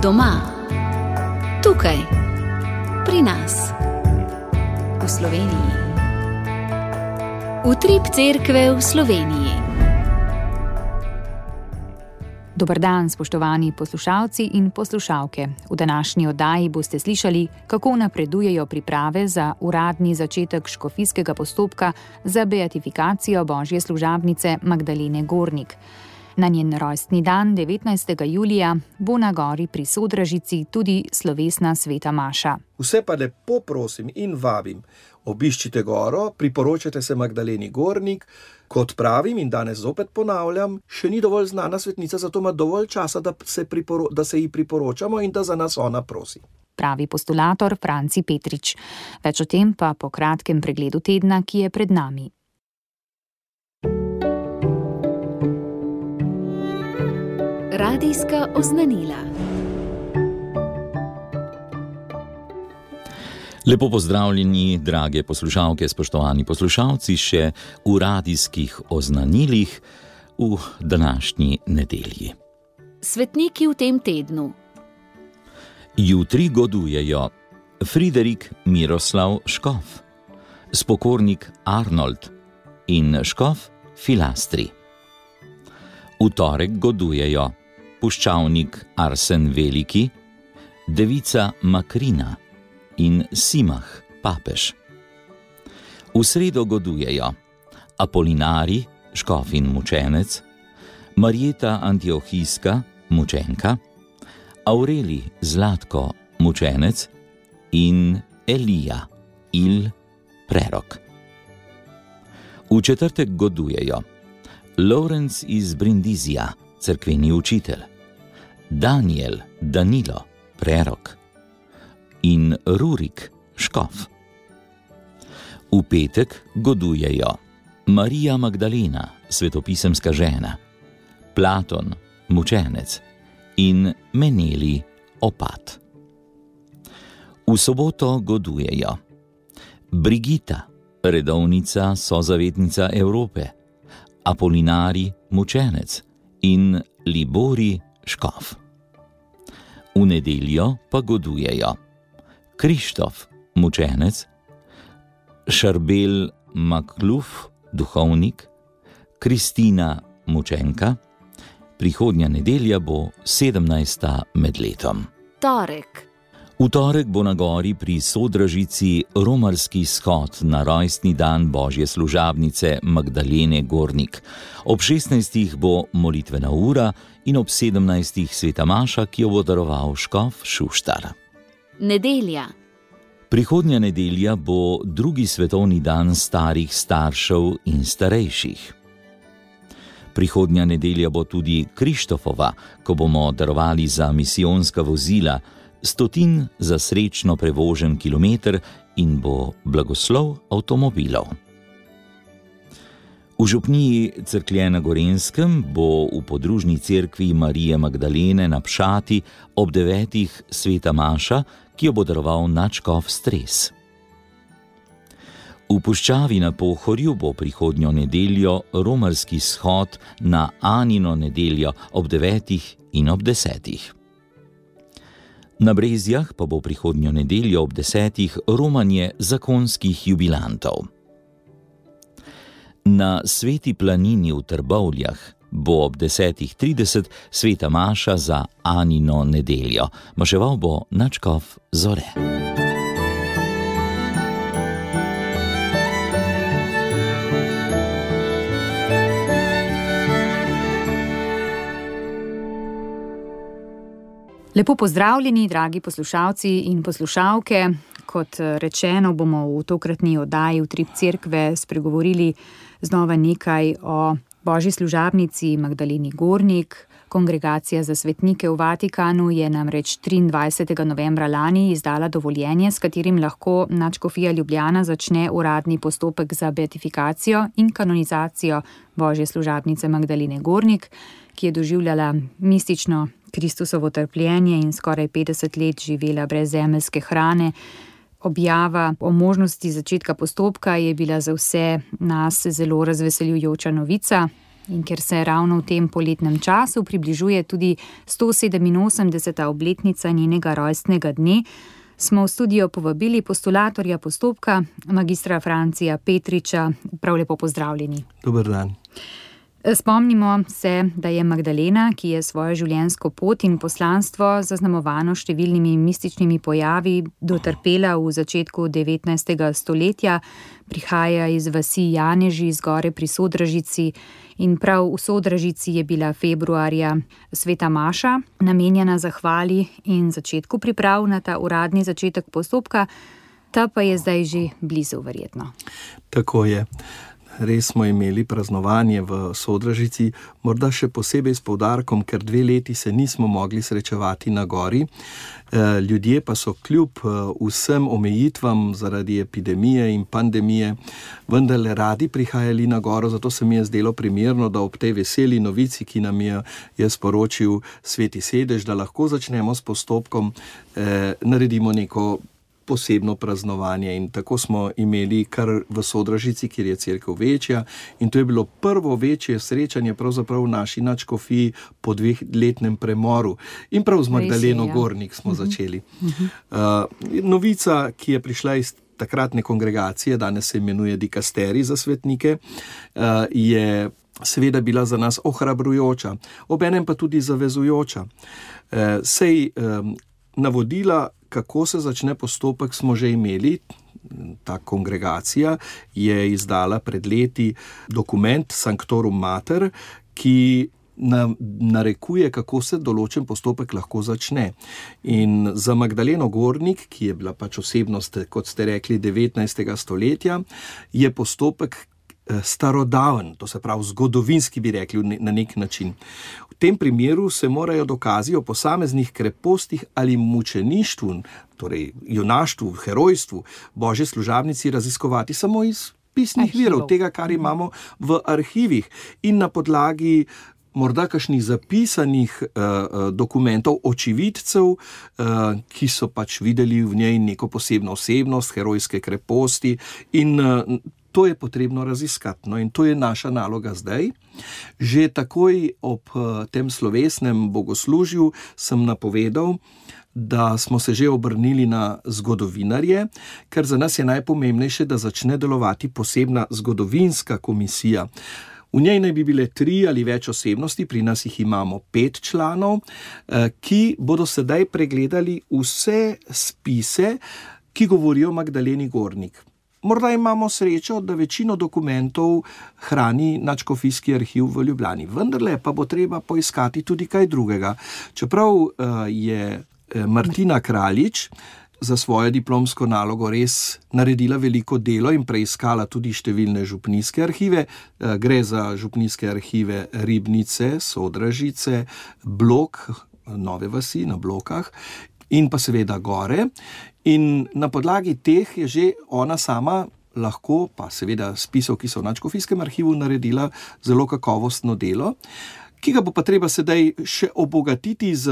Doma, tukaj, pri nas, v Sloveniji. Utrip cerkve v Sloveniji. Dober dan, spoštovani poslušalci in poslušalke. V današnji oddaji boste slišali, kako napredujejo priprave za uradni začetek škofijskega postopka za beatifikacijo božje služabnice Magdalene Gornik. Na njen rojstni dan, 19. julija, bo na gori pri Sodražici tudi slovesna sveta maša. Vse pa lepo prosim in vabim, obiščite goro, priporočate se Magdaleni Gornik. Kot pravim in danes zopet ponavljam, še ni dovolj znana svetnica, zato ima dovolj časa, da se ji priporočamo in da za nas ona prosi. Pravi postulator Franci Petrič. Več o tem pa po kratkem pregledu tedna, ki je pred nami. Radijska oznanila. Lepo pozdravljeni, drage poslušalke, spoštovani poslušalci, še v radijskih oznanilih v današnji nedelji. Svetniki v tem tednu. Jutri godujejo Friderik Miroslav Škof, spokornik Arnold in škof Filastri. V torek godujejo puščavnik Arsen Veliki, devica Makrina in Simah, papež. V sredo godujejo Apolinari, škof in mučenec, Marjeta Antiohijska, mučenka, Aureli Zlatko, mučenec in Elija, prerok. V četrtek godujejo Lorenz iz Brindizija, cerkveni učitelj, Danilo, prerok in Rurik, škof. V petek godujejo Marija Magdalena, svetopisemska žena, Platon, mučenec in Meneli, opat. V soboto godujejo Brigita, redovnica sozavetnica Evrope, Apolinari, mučenec in Libori, škof. V nedeljo pa godujejo Krištof, mučenec, Šarbel Makluf, duhovnik, Kristina, mučenka. Prihodnja nedelja bo 17. med letom. Torek. V torek bo na gori pri Sodražici romarski shod na rojstni dan božje služabnice Magdalene Gornik. Ob 16. bo molitvena ura in ob 17. sveta maša, ki jo bo daroval škof Šuštar. Nedelja. Prihodnja nedelja bo drugi svetovni dan starih staršev in starejših. Prihodnja nedelja bo tudi Krištofova, ko bomo darovali za misijonska vozila 100 za srečno prevožen kilometer in bo blagoslov avtomobilov. V župniji Cerklje na Gorenjskem bo v podružni cerkvi Marije Magdalene na Pšati ob 9. sveta maša, ki jo bo daroval nadškof Stres. V puščavi na Pohorju bo prihodnjo nedeljo romarski shod na Anino nedeljo ob 9. in ob 10. Na Brezjah pa bo prihodnjo nedeljo ob 10. romanje zakonskih jubilantov. Na Sveti planini v Trbovljah bo ob 10.30 sveta maša za Anino nedeljo. Maševal bo nadškof Zore. Lepo pozdravljeni, dragi poslušalci in poslušalke. Kot rečeno, bomo v tokratni oddaji Utrip cerkve spregovorili znova nekaj o božji služabnici Magdaleni Gornik. Kongregacija za svetnike v Vatikanu je namreč 23. novembra lani izdala dovoljenje, s katerim lahko nadškofija Ljubljana začne uradni postopek za beatifikacijo in kanonizacijo božje služabnice Magdalene Gornik, ki je doživljala mistično Kristusovo trpljenje in skoraj 50 let živela brez zemeljske hrane. Objava o možnosti začetka postopka je bila za vse nas zelo razveseljujoča novica. In ker se ravno v tem poletnem času približuje tudi 187. obletnica njenega rojstnega dne, smo v studio povabili postulatorja postopka, magistra Francija Petriča. Prav lepo pozdravljeni. Dober dan. Spomnimo se, da je Magdalena, ki je svojo življenjsko pot in poslanstvo zaznamovano številnimi mističnimi pojavi, dotrpela v začetku 19. stoletja, prihaja iz vasi Janeži, zgore pri Sodražici, in prav v Sodražici je bila februarja sveta maša, namenjena zahvali in začetku priprav na ta uradni začetek postopka, ta pa je zdaj že blizu verjetno. Tako je. Res smo imeli praznovanje v Sodražici, morda še posebej s poudarkom, ker 2 leti se nismo mogli srečevati na gori. Ljudje pa so kljub vsem omejitvam zaradi epidemije in pandemije vendarle radi prihajali na goro, zato se mi je zdelo primerno, da ob tej veseli novici, ki nam je sporočil Sveti Sedež, da lahko začnemo s postopkom, naredimo neko posebno praznovanje, in tako smo imeli kar v Sodražici, kjer je cerkev večja, in to je bilo prvo večje srečanje pravzaprav v naši nadškofiji po 2-letnem premoru. In prav z Magdaleno Gornik smo začeli. Novica, ki je prišla iz takratne kongregacije, danes se imenuje dikasterij za svetnike, je seveda bila za nas ohrabrujoča, obenem pa tudi zavezujoča. Navodila, kako se začne postopek, smo že imeli. Ta kongregacija je izdala pred leti dokument Sanctorum Mater, ki narekuje, kako se določen postopek lahko začne. In za Magdaleno Gornik, ki je bila pač osebnost, kot ste rekli, 19. stoletja, je postopek starodaven, to se pravi zgodovinski, bi rekli na nek način. V tem primeru se morajo dokazi o posameznih krepostih ali mučeništvu, torej junaštvu, herojstvu Božje služabnici raziskovati samo iz pisnih virov, tega, kar imamo v arhivih, in na podlagi morda kakšnih zapisanih dokumentov očividcev, ki so pač videli v njej neko posebno osebnost, herojske kreposti, in to je potrebno raziskati. No, in to je naša naloga zdaj. Že takoj ob tem slovesnem bogoslužju sem napovedal, da smo se že obrnili na zgodovinarje, ker za nas je najpomembnejše, da začne delovati posebna zgodovinska komisija. V njej naj bi bile 3 ali več osebnosti, pri nas jih imamo 5 članov, ki bodo sedaj pregledali vse spise, ki govorijo o Magdaleni Gornik. Morda imamo srečo, da večino dokumentov hrani nadškofijski arhiv v Ljubljani, vendarle pa bo treba poiskati tudi kaj drugega. Čeprav je Martina Kraljič za svojo diplomsko nalogo res naredila veliko delo in preiskala tudi številne župnijske arhive, gre za župnijske arhive Ribnice, Sodražice, Blok, Nove vasi na Blokah, in pa seveda gore. In na podlagi teh je že ona sama lahko, pa seveda spisov, ki so v nadškofijskem arhivu, naredila zelo kakovostno delo, ki ga bo pa treba sedaj še obogatiti z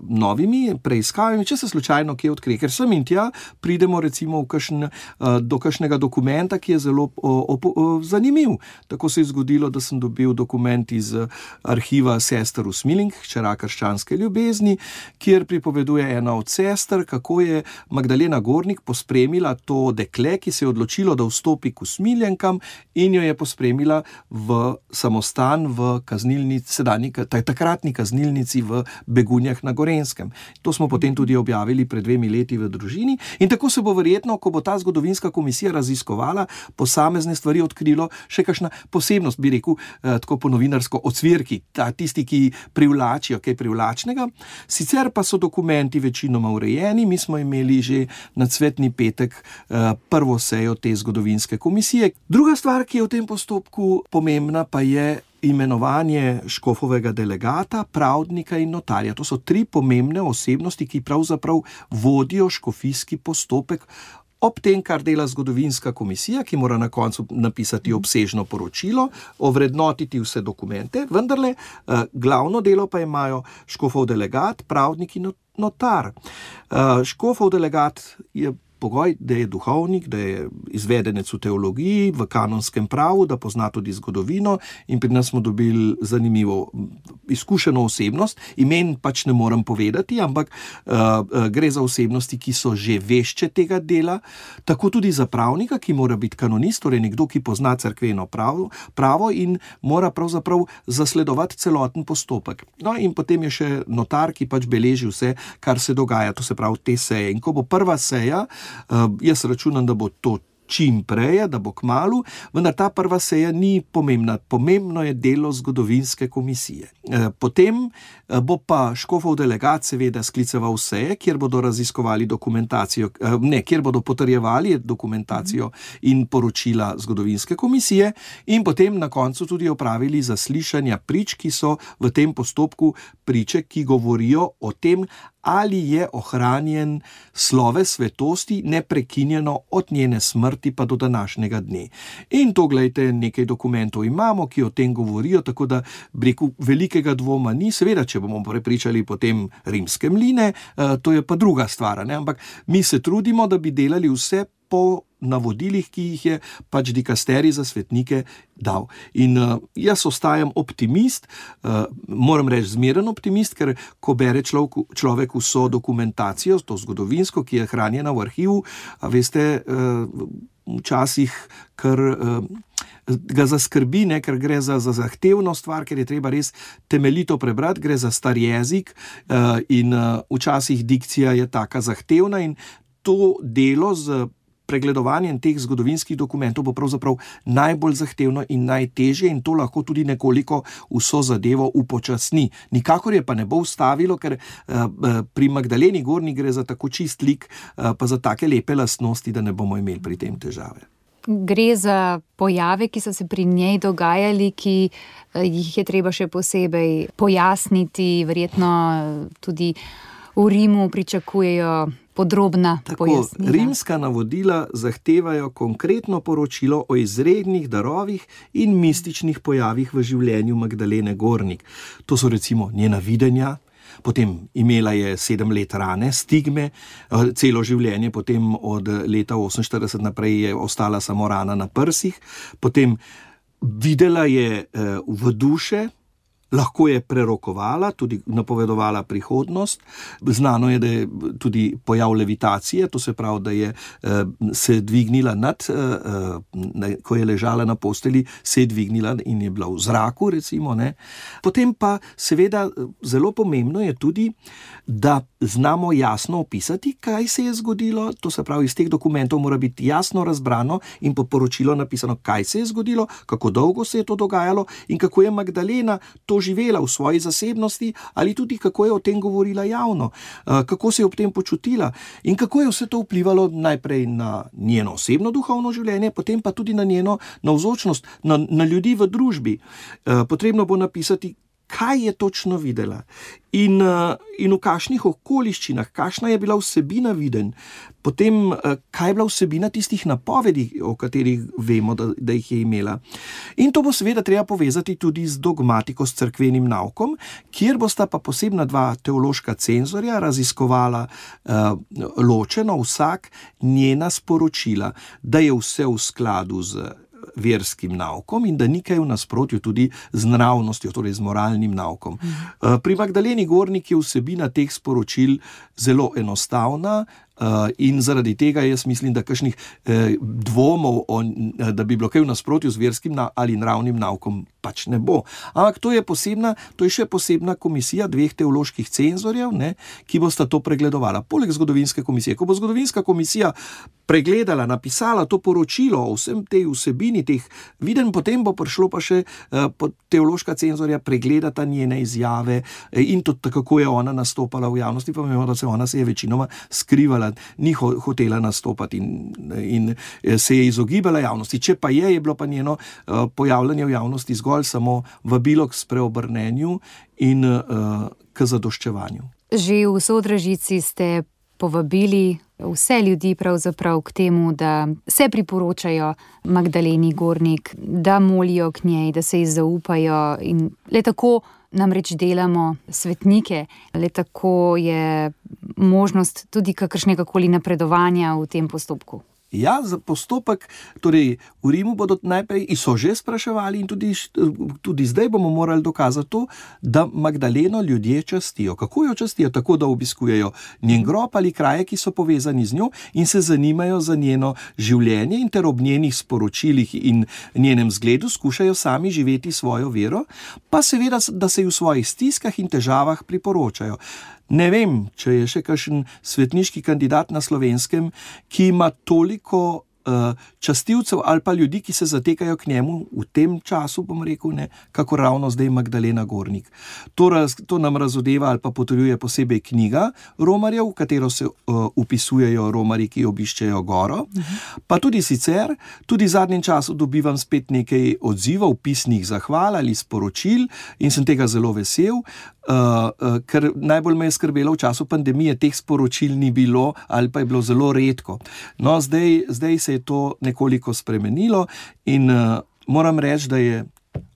novimi preiskavami, če se slučajno kje odkrije. Ker sem in tja pridemo recimo do kakšnega dokumenta, ki je zelo zanimiv. Tako se je zgodilo, da sem dobil dokument iz arhiva sester Usmilink, hčera krščanske ljubezni, kjer pripoveduje ena od sester, kako je Magdalena Gornik pospremila to dekle, ki se je odločilo, da vstopi k Usmiljenkam, in jo je pospremila v samostan v takratni kaznilnici v Begunjah na Gorenjskem. To smo potem tudi objavili pred 2 leti v Družini, in tako se bo verjetno, ko bo ta zgodovinska komisija raziskovala posamezne stvari, odkrilo še kakšna posebnost, bi rekel, tako po novinarsko, ocvirki, tisti, ki privlačijo kaj privlačnega. Sicer pa so dokumenti večinoma urejeni. Mi smo imeli že na Cvetni petek prvo sejo te zgodovinske komisije. Druga stvar, ki je v tem postopku pomembna, pa je imenovanje škofovega delegata, pravdnika in notarja. To so 3 pomembne osebnosti, ki pravzaprav vodijo škofijski postopek ob tem, kar dela zgodovinska komisija, ki mora na koncu napisati obsežno poročilo, ovrednotiti vse dokumente, vendarle glavno delo pa imajo škofov delegat, pravdnik in notar. Škofov delegat je pogoj, da je duhovnik, da je izvedenec v teologiji, v kanonskem pravu, da pozna tudi zgodovino in pri nas smo dobili zanimivo izkušeno osebnost. Imen pač ne morem povedati, ampak gre za osebnosti, ki so že vešče tega dela, tako tudi za pravnika, ki mora biti kanonist, torej nekdo, ki pozna cerkveno pravo in mora pravzaprav zasledovati celoten postopek. No in potem je še notar, ki pač beleži vse, kar se dogaja, to se pravi te seje. In ko bo prva seja, jaz računam, da bo to čim prej, da bo kmalu, vendar ta prva seja ni pomembna. Pomembno je delo zgodovinske komisije. Potem bo pa škofov delegat seveda skliceval seje, kjer bodo raziskovali dokumentacijo, kjer bodo potrjevali dokumentacijo in poročila zgodovinske komisije in potem na koncu tudi opravili zaslišanja prič, ki so v tem postopku priče, ki govorijo o tem, ali je ohranjen sloves svetosti neprekinjeno od njene smrti pa do današnjega dne. In to, glejte, nekaj dokumentov imamo, ki o tem govorijo, tako da velikega dvoma ni. Seveda, če bomo prepričali potem rimske mline, to je pa druga stvar, ne? Ampak mi se trudimo, da bi delali vse po navodilih, ki jih je pač dikasterij za svetnike dal. In jaz ostajam optimist, moram reči zmeren optimist, ker ko bere človek vso dokumentacijo, to zgodovinsko, ki je hranjena v arhivu, a veste, včasih kar ga zaskrbi, ne, ker gre za zahtevno stvar, ker je treba res temeljito prebrati, gre za star jezik in včasih dikcija je taka zahtevna in to delo z pregledovanjem teh zgodovinskih dokumentov bo pravzaprav najbolj zahtevno in najtežje in to lahko tudi nekoliko vso zadevo upočasni. Nikakor je pa ne bo ustavilo, ker pri Magdaleni Gornik gre za tako čist lik, pa za take lepe lastnosti, da ne bomo imeli pri tem težave. Gre za pojave, ki so se pri njej dogajali, ki jih je treba še posebej pojasniti, verjetno tudi v Rimu pričakujejo podrobna pojasnila. Rimska navodila zahtevajo konkretno poročilo o izrednih darovih in mističnih pojavih v življenju Magdalene Gornik. To so recimo njena videnja, potem imela je 7 let rane, stigme, celo življenje, potem od leta 48 naprej je ostala samo rana na prsih, potem videla je v duše, lahko je prerokovala, tudi napovedovala prihodnost. Znano je, da je tudi pojav levitacije, to se pravi, da je se dvignila ko je ležala na posteli, se je dvignila in je bila v zraku, recimo, ne. Potem pa seveda zelo pomembno je tudi, da znamo jasno opisati, kaj se je zgodilo, to se pravi, iz teh dokumentov mora biti jasno razbrano in po poročilu napisano, kaj se je zgodilo, kako dolgo se je to dogajalo in kako je Magdalena to živela v svoji zasebnosti ali tudi kako je o tem govorila javno, kako se je ob tem počutila in kako je vse to vplivalo najprej na njeno osebno duhovno življenje, potem pa tudi na njeno navzočnost, na ljudi v družbi. Potrebno bo napisati, kaj je točno videla in v kakšnih okoliščinah, kakšna je bila vsebina videnj, potem kaj je bila vsebina tistih napovedi, o katerih vemo, da jih je imela. In to bo seveda treba povezati tudi z dogmatiko, s cerkvenim naukom, kjer bosta pa posebna 2 teološka cenzorja raziskovala ločeno vsak njena sporočila, da je vse v skladu z verskim naukom in da ni kaj v nasprotju tudi z nravnostjo, torej z moralnim naukom. Pri Magdaleni Gornik je vsebina teh sporočil zelo enostavna in zaradi tega jaz mislim, da kakšnih dvomov, da bi bilo kaj v nasprotju z verskim ali nravnim naukom, pač ne bo. Ampak to je še posebna komisija 2 teoloških cenzorjev, ne, ki bosta to pregledovala. Poleg zgodovinske komisije. Ko bo zgodovinska komisija pregledala, napisala to poročilo o vsem tej vsebini teh videnj, potem bo prišlo pa še teološka cenzorja pregledata njene izjave in to, kako je ona nastopala v javnosti, pa vemo, da ona se je večinoma skrivala, ni hotela nastopati in se je izogibala javnosti. Če pa je bilo pa njeno pojavljanje v javnosti zgolj samo vabilo k spreobrnenju in k zadoščevanju. Že v Sodražici ste povabili vse ljudi pravzaprav k temu, da se priporočajo Magdaleni Gornik, da molijo k njej, da se ji zaupajo in le tako namreč delamo svetnike, le tako je možnost tudi kakršnegakoli napredovanja v tem postopku. Ja, za postopek, torej v Rimu bodo najprej so že spraševali in tudi zdaj bomo morali dokazati to, da Magdaleno ljudje častijo. Kako jo častijo? Tako, da obiskujejo njen grob ali kraje, ki so povezani z njo in se zanimajo za njeno življenje in ter ob njenih sporočilih in njenem zgledu skušajo sami živeti svojo vero, pa seveda, da se ji v svojih stiskah in težavah priporočajo. Ne vem, če je še kakšen svetniški kandidat na Slovenskem, ki ima toliko častilcev ali pa ljudi, ki se zatekajo k njemu v tem času, bom rekel, ne, kako ravno zdaj Magdalena Gornik. To nam razodeva ali pa potrjuje posebej knjiga romarjev, v katero se upisujejo romarji, ki obiščejo goro. Pa tudi sicer, tudi v zadnjem času dobivam spet nekaj odzivov, pisnih zahval ali sporočil in sem tega zelo vesel, ker najbolj me je skrbelo v času pandemije, teh sporočil ni bilo ali pa je bilo zelo redko. No, zdaj se je to nekoliko spremenilo in moram reči, da je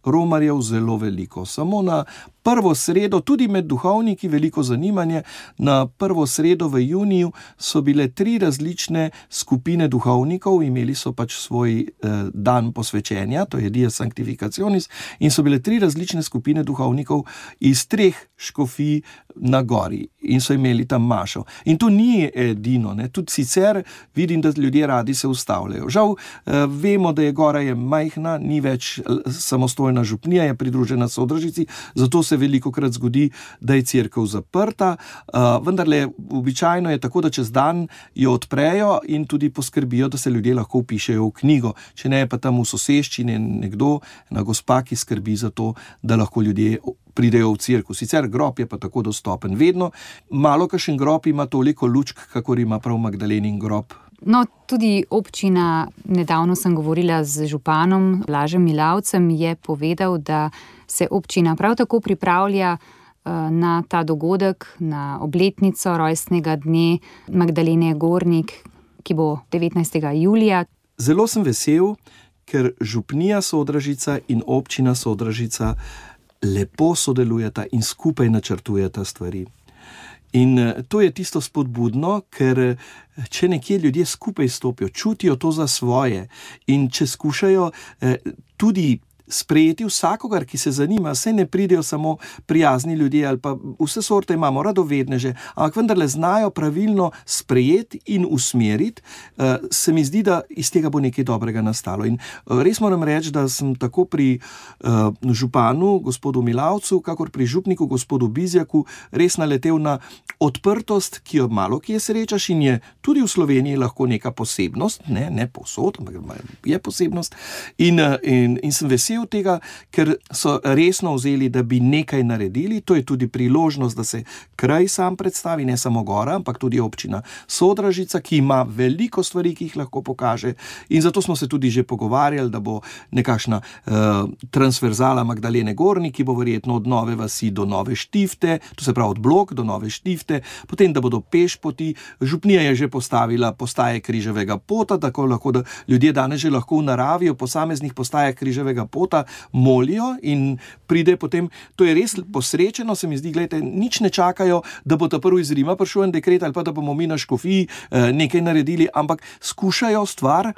romarjev zelo veliko. Samo na prvo sredo, tudi med duhovniki veliko zanimanje, na prvo sredo v juniju so bile 3 različne skupine duhovnikov, imeli so pač svoj dan posvečenja, to je Dies Sanctificationis, in so bile 3 različne skupine duhovnikov iz 3 škofij na gori in so imeli tam mašo. In to ni edino, ne? Tudi sicer vidim, da ljudje radi se ustavljajo. Žal, vemo, da je gora majhna, ni več samostojna župnija, je pridružena Sodražici, zato se velikokrat zgodi, da je cerkev zaprta, vendarle običajno je tako, da čez dan jo odprejo in tudi poskrbijo, da se ljudje lahko vpišejo v knjigo. Če ne, je pa tam v soseščini nekdo, ena gospa, ki skrbi za to, da lahko ljudje pridejo v cerkev. Sicer grob je pa tako dostopen. Vedno malo kakšen grob ima toliko lučk, kakor ima prav Magdalenin grob. No, tudi občina, nedavno sem govorila z županom Blažem Milavcem, je povedal, da se občina prav tako pripravlja na ta dogodek, na obletnico rojstnega dne Magdalene Gornik, ki bo 19. julija. Zelo sem vesel, ker župnija Sodražica in občina Sodražica lepo sodelujeta in skupaj načrtujeta stvari. In to je tisto spodbudno, ker če nekje ljudje skupaj stopijo, čutijo to za svoje in če skušajo tudi sprejeti vsakogar, ki se zanima, saj ne pridejo samo prijazni ljudje ali pa vse sorte imamo, radovedneže, ampak vendarle znajo pravilno sprejeti in usmeriti, se mi zdi, da iz tega bo nekaj dobrega nastalo. In res moram reči, da sem tako pri županu, gospodu Milavcu, kakor pri župniku, gospodu Bizjaku, res naletel na odprtost, ki jo malo kje srečaš in je tudi v Sloveniji lahko neka posebnost, ne povsod, ampak je posebnost. In sem vesel tega, ker so resno vzeli, da bi nekaj naredili. To je tudi priložnost, da se kraj sam predstavi, ne samo gora, ampak tudi občina Sodražica, ki ima veliko stvari, ki jih lahko pokaže. In zato smo se tudi že pogovarjali, da bo nekakšna transverzala Magdalene Gornik, ki bo verjetno od Nove vasi do Nove Štifte, to se pravi od Blok do Nove Štifte, potem da bodo pešpoti. Župnija je že postavila postaje križevega pota, tako lahko, da ljudje danes že lahko v naravi v posameznih postajah križevega pota molijo in pride potem, to je res posrečeno, se mi zdi, gledajte, nič ne čakajo, da bo ta prvi iz Rima prišel en dekret ali pa da bomo mi na škofiji nekaj naredili, ampak skušajo stvar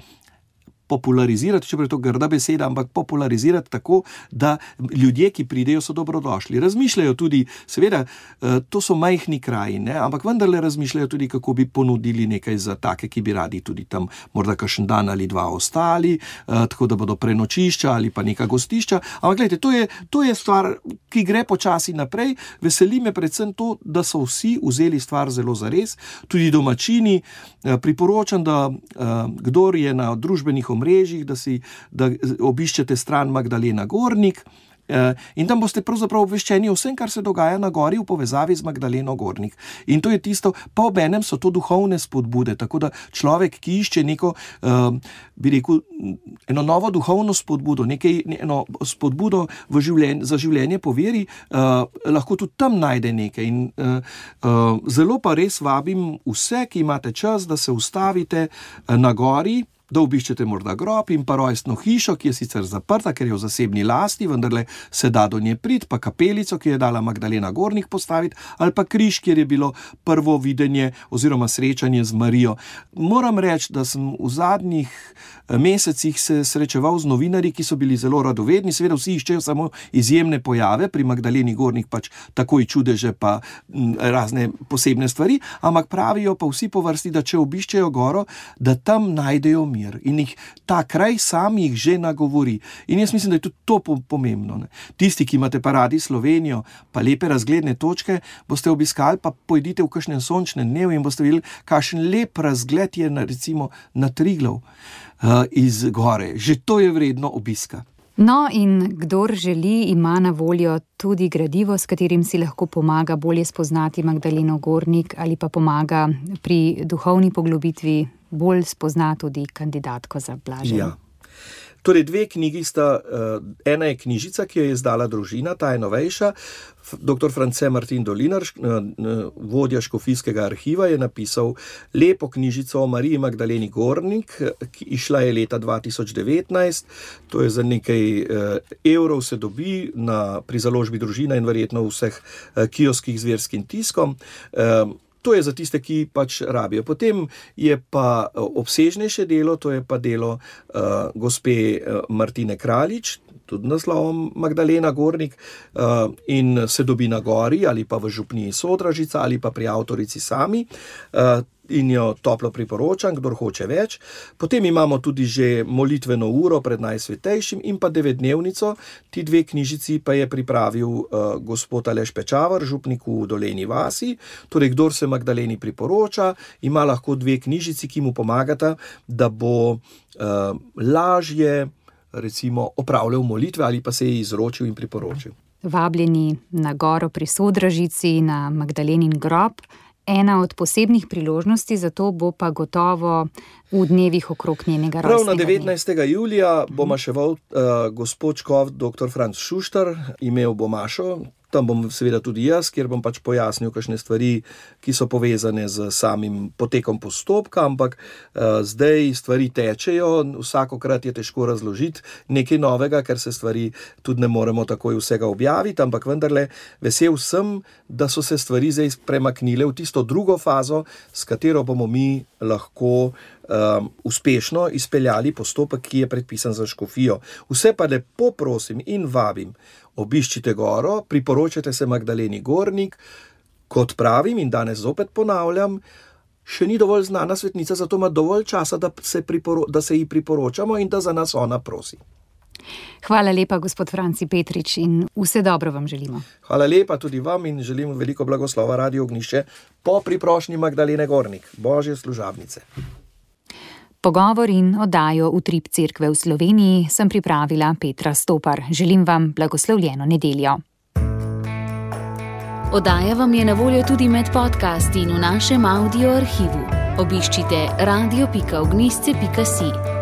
popularizirati, čeprav je to grda beseda, ampak popularizirati tako, da ljudje, ki pridejo, so dobrodošli. Razmišljajo tudi, seveda, to so majhni kraji, ne, ampak vendarle razmišljajo tudi, kako bi ponudili nekaj za take, ki bi radi tudi tam morda kakšen dan ali 2 ostali, tako da bodo prenočišča ali pa neka gostišča. Ampak gledajte, to je stvar, ki gre počasi naprej. Veseli me predvsem to, da so vsi vzeli stvar zelo zares, tudi domačini. Priporočam, da kdor je na družbenih omrežjih, da obiščete stran Magdalena Gornik, In tam boste pravzaprav obveščeni o vsem, kar se dogaja na gori v povezavi z Magdaleno Gornik. In to je tisto, pa obenem so to duhovne spodbude, tako da človek, ki išče neko, bi rekel, eno novo duhovno spodbudo, eno spodbudo za življenje po veri, lahko tudi tam najde nekaj. In zelo pa res vabim vse, ki imate čas, da se ustavite na gori, da obiščete morda grob in pa rojstno hišo, ki je sicer zaprta, ker je v zasebni lasti, vendarle se da do nje priti, pa kapelico, ki je dala Magdalena Gornik postaviti, ali pa križ, kjer je bilo prvo videnje oziroma srečanje z Marijo. Moram reči, da sem v zadnjih mesecih se srečeval z novinarji, ki so bili zelo radovedni, seveda vsi iščejo samo izjemne pojave, pri Magdaleni Gornik pač takoj čudeže pa razne posebne stvari, ampak pravijo pa vsi po vrsti, da če obiščejo goro, da tam najdejo mir in jih ta kraj sam jih že nagovori. In jaz mislim, da je tudi to pomembno. Ne? Tisti, ki imate pa radi Slovenijo, pa lepe razgledne točke, boste obiskali, pa pojdite v kakšnem sončnem dnevu in boste videli, kakšen lep razgled je recimo na Triglav iz gore. Že to je vredno obiska. No, in kdor želi, ima na voljo tudi gradivo, s katerim si lahko pomaga bolje spoznati Magdaleno Gornik ali pa pomaga pri duhovni poglobitvi bolj spozna tudi kandidatko za blaženje. Ja. Torej, dve knjigi sta, ena je knjižica, ki jo je izdala družina, ta je novejša. Dr. France Martin Dolinar, vodja škofijskega arhiva, je napisal lepo knjižico o Mariji Magdaleni Gornik, ki išla je leta 2019. To je za nekaj evrov se dobi pri založbi družina in verjetno v vseh kioskih z verskim tiskom. To je za tiste, ki pač rabijo. Potem je pa obsežnejše delo, to je pa delo gospe Martine Kraljič, tudi naslovom Magdalena Gornik, in se dobi na gori ali pa v župniji Sodražica ali pa pri avtorici sami. In jo toplo priporočam, kdor hoče več. Potem imamo tudi že molitveno uro pred Najsvetejšim in pa 9-dnevnico. Ti dve knjižici pa je pripravil gospod Aleš Pečavar, župnik v Dolenji vasi. Torej, kdor se Magdaleni priporoča, ima lahko dve knjižici, ki mu pomagata, da bo lažje recimo opravljal molitve ali pa se je izročil in priporočil. Vabljeni na goro pri Sodražici, na Magdalenin grob. Ena od posebnih priložnosti, zato bo pa gotovo v dnevih okrog njenega rojstnega dne. Prav na 19. julija bo maševal gospod škof dr. Franc Šuštar, imel bo mašo. Tam bom seveda tudi jaz, kjer bom pač pojasnil kakšne stvari, ki so povezane z samim potekom postopka, ampak zdaj stvari tečejo, vsakokrat je težko razložiti nekaj novega, ker se stvari tudi ne moremo takoj vsega objaviti, ampak vendarle vesel sem, da so se stvari zdaj premaknile v tisto drugo fazo, s katero bomo mi lahko uspešno izpeljali postopek, ki je predpisan za škofijo. Vse pa lepo prosim in vabim, obiščite goro, priporočate se Magdaleni Gornik, kot pravim in danes zopet ponavljam, še ni dovolj znana svetnica, zato ima dovolj časa, da se ji priporočamo in da za nas ona prosi. Hvala lepa, gospod Franci Petrič, in vse dobro vam želimo. Hvala lepa tudi vam in želim veliko blagoslova Radio Ognjišče po priprošnji Magdalene Gornik, Božje služabnice. Pogovor in oddajo Utrip Cerkve v Sloveniji sem pripravila Petra Stopar. Želim vam blagoslovljeno nedeljo. Oddaja vam je na voljo tudi med podcasti in v našem audio arhivu. Obiščite radio.ognjišče.si.